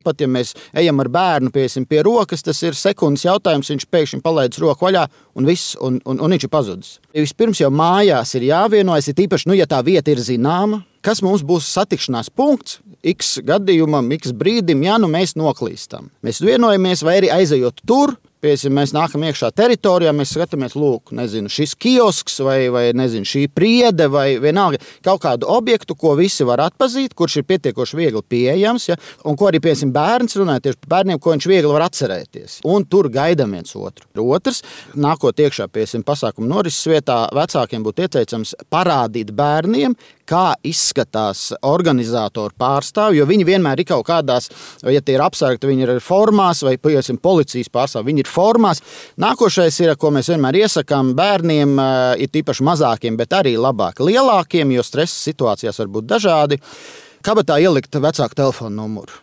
pat ja mēs ejam ar bērnu pie rokas, tas ir sekundes jautājums, viņš pēkšņi palaidis roku vaļā un viss, un viņš ir pazudis. Vispirms jau mājās ir jāvienojas, ir tīpaši, ja tā vieta ir zināma, kas mums būs satikšanās punkts, x gadījumam, x brīdim, ja mēs noklīstam. Mēs vienojamies vai arī aizejot tur, mēs nākam iekšā teritorijā, mēs skatāmies, lūk, šis kiosks vai šī priede vai vienalga kaut kādu objektu, ko visi var atpazīt, kurš ir pietiekoši viegli pieejams, ja, un ko arī, bērns runāja tieši par bērniem, ko viņš viegli var atcerēties. Un tur gaidām viens otru. Otrs, nākot iekšā, pasākumu norises vietā, vecākiem būtu ieteicams parādīt bērniem, kā izskatās organizātoru pārstāvi, jo viņi vienmēr ir kaut kādās, ja tie ir apsargti, viņi ir formās, vai, policijas pārstāvi, viņi ir formās. Nākošais ir, ko mēs vienmēr iesakām bērniem, ir tīpaši mazākiem, bet arī labāk lielākiem, jo stresa situācijās var būt dažādi. Kabatā ielikt vecāku telefonu numuru.